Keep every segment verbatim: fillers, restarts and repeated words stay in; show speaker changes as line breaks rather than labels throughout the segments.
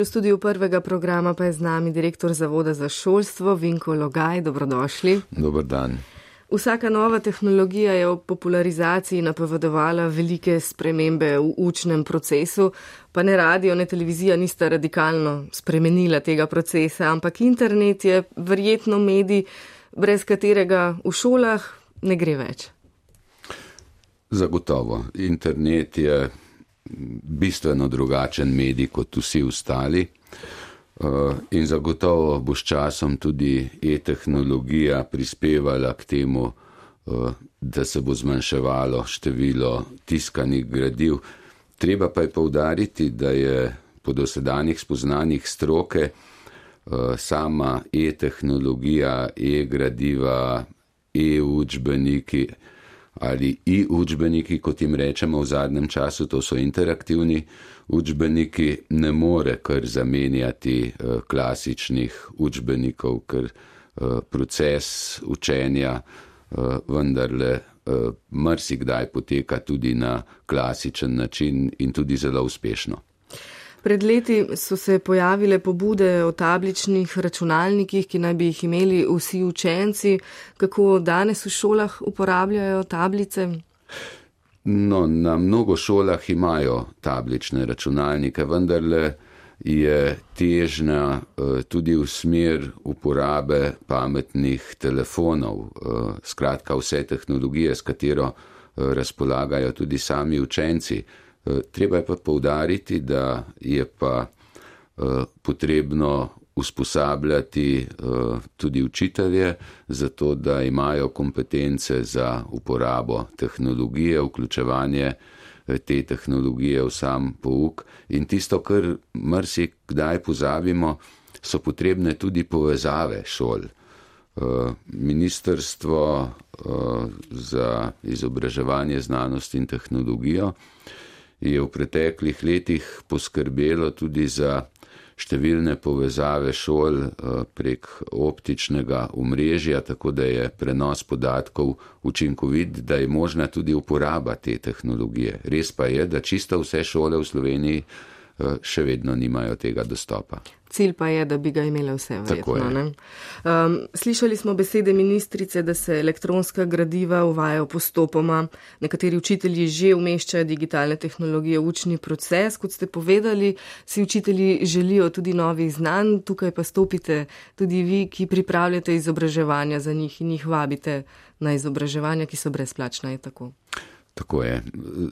V studiu prvega programa pa je z nami direktor Zavoda za šolstvo Vinko Logaj. Dobrodošli.
Dober dan.
Vsaka nova tehnologija je ob popularizaciji napovedovala velike spremembe v učnem procesu, pa ne radio, ne televizija nista radikalno spremenila tega procesa, ampak internet je verjetno medij, brez katerega v šolah ne gre več.
Zagotovo. Internet je bistveno drugačen medij kot vsi ostali in zagotovo bo s časom tudi e-tehnologija prispevala k temu, da se bo zmanjševalo število tiskanih gradiv. Treba pa je poudariti, da je po dosedanjih spoznanjih stroke sama e-tehnologija, e-gradiva, e-učbeniki ali i-učbeniki, kot jim rečemo v zadnjem času, to so interaktivni učbeniki, ne more kar zamenjati klasičnih učbenikov, ker proces učenja vendarle marsikdaj poteka tudi na klasičen način in tudi zelo uspešno.
Pred leti so se pojavile pobude o tabličnih računalnikih, ki naj bi jih imeli vsi učenci. Kako danes v šolah uporabljajo tablice?
No, na mnogo šolah imajo tablične računalnike, vendarle je težnja tudi v smer uporabe pametnih telefonov, skratka vse tehnologije, s katero razpolagajo tudi sami učenci. Treba je pa poudariti, da je pa potrebno usposabljati tudi učitelje, zato da imajo kompetence za uporabo tehnologije, vključevanje te tehnologije v sam pouk. In tisto, kar marsikdaj pozabimo, so potrebne tudi povezave šol. Ministrstvo za izobraževanje, znanost in tehnologijo je v preteklih letih poskrbelo tudi za številne povezave šol prek optičnega omrežja, tako da je prenos podatkov učinkovit, da je možna tudi uporaba te tehnologije. Res pa je, da čisto vse šole v Sloveniji še vedno nimajo tega dostopa.
Cilj pa je, da bi ga imele vse, verjetno. Ne? Um, slišali smo besede ministrice, da se elektronska gradiva uvajajo postopoma. Nekateri učitelji že umeščajo digitalne tehnologije v učni proces. Kot ste povedali, si učitelji želijo tudi novih znanj. Tukaj pa stopite tudi vi, ki pripravljate izobraževanja za njih in jih vabite na izobraževanja, ki so brezplačna, je tako?
Tako je.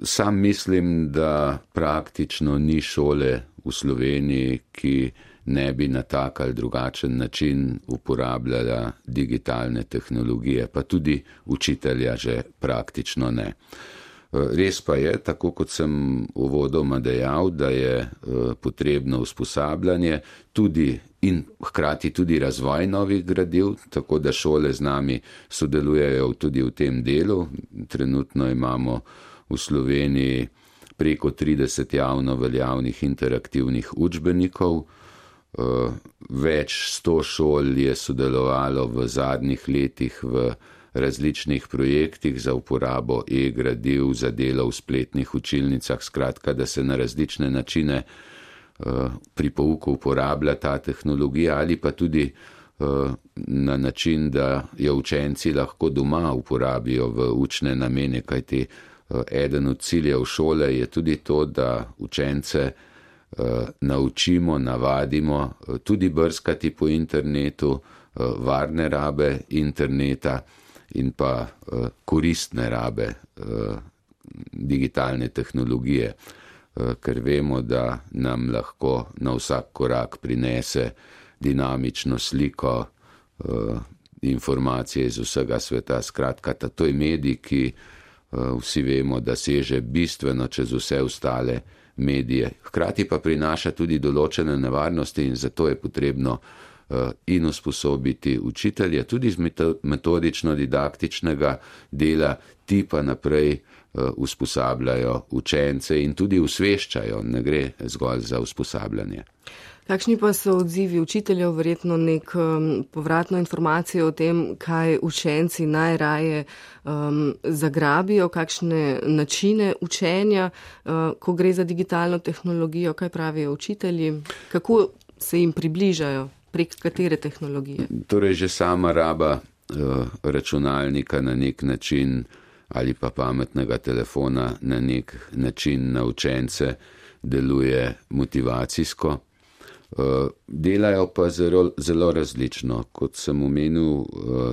Sam mislim, da praktično ni šole v Sloveniji, ki ne bi na tak ali drugačen način uporabljala digitalne tehnologije, pa tudi učitelja že praktično ne. Res pa je, tako kot sem uvodoma dejal, da je potrebno usposabljanje tudi in hkrati tudi razvoj novih gradiv, tako da šole z nami sodelujejo tudi v tem delu. Trenutno imamo v Sloveniji preko trideset javno veljavnih interaktivnih učbenikov. Več sto šol je sodelovalo v zadnjih letih v različnih projektih za uporabo e-gradiv, za delo v spletnih učilnicah, skratka, da se na različne načine pri pouku uporablja ta tehnologija ali pa tudi na način, da jo učenci lahko doma uporabijo v učne namene, kajti eden od ciljev šole je tudi to, da učence naučimo, navadimo tudi brskati po internetu, varne rabe interneta in pa koristne rabe digitalne tehnologije, ker vemo, da nam lahko na vsak korak prinese dinamično sliko, informacije iz vsega sveta. Skratka, to je medij, ki vsi vemo, da seže bistveno čez vse ostale medije. Hkrati pa prinaša tudi določene nevarnosti in zato je potrebno in usposobiti učitelje, tudi z metodično-didaktičnega dela, ti pa naprej usposabljajo učence in tudi usveščajo, ne gre zgolj za usposabljanje.
Kakšni pa so odzivi učiteljev, verjetno nek um, povratno informacijo o tem, kaj učenci najraje um, zagrabijo, kakšne načine učenja, uh, ko gre za digitalno tehnologijo, kaj pravijo učitelji, kako se jim približajo, prek katere tehnologije?
Torej že sama raba uh, računalnika na nek način ali pa pametnega telefona na nek način na učence deluje motivacijsko. Delajo pa zelo, zelo različno, kot sem omenil,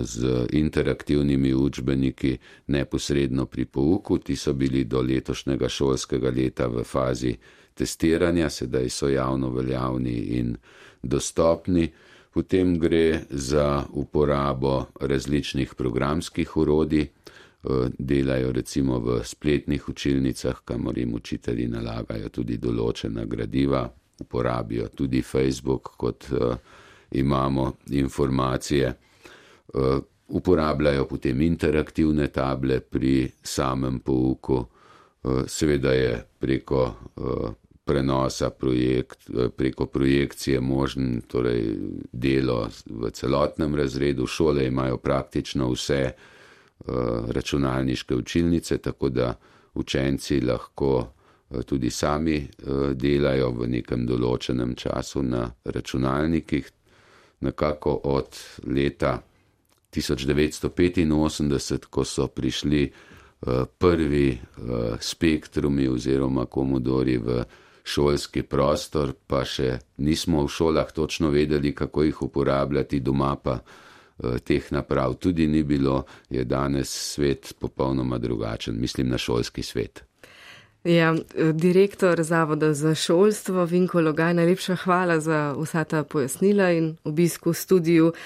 z interaktivnimi učbeniki neposredno pri pouku. Ti so bili do letošnjega šolskega leta v fazi testiranja, sedaj so javno veljavni in dostopni. Potem gre za uporabo različnih programskih orodij. Delajo recimo v spletnih učilnicah, kamor jim učitelji nalagajo tudi določena gradiva. Uporabijo tudi Facebook, kot uh, imamo informacije. Uh, uporabljajo potem interaktivne table pri samem pouku. Uh, seveda je preko uh, prenosa projekt, uh, preko projekcije možen torej delo v celotnem razredu. Šole imajo praktično vse uh, računalniške učilnice, tako da učenci lahko tudi sami delajo v nekem določenem času na računalnikih. Nekako od leta tisoč devetsto petinosemdeset, ko so prišli prvi spektrumi oziroma komodori v šolski prostor, pa še nismo v šolah točno vedeli, kako jih uporabljati, doma pa teh naprav tudi ni bilo, je danes svet popolnoma drugačen, mislim na šolski svet.
Ja, direktor Zavoda za šolstvo Vinko Logaj, najlepša hvala za vsa ta pojasnila in obisk v studiu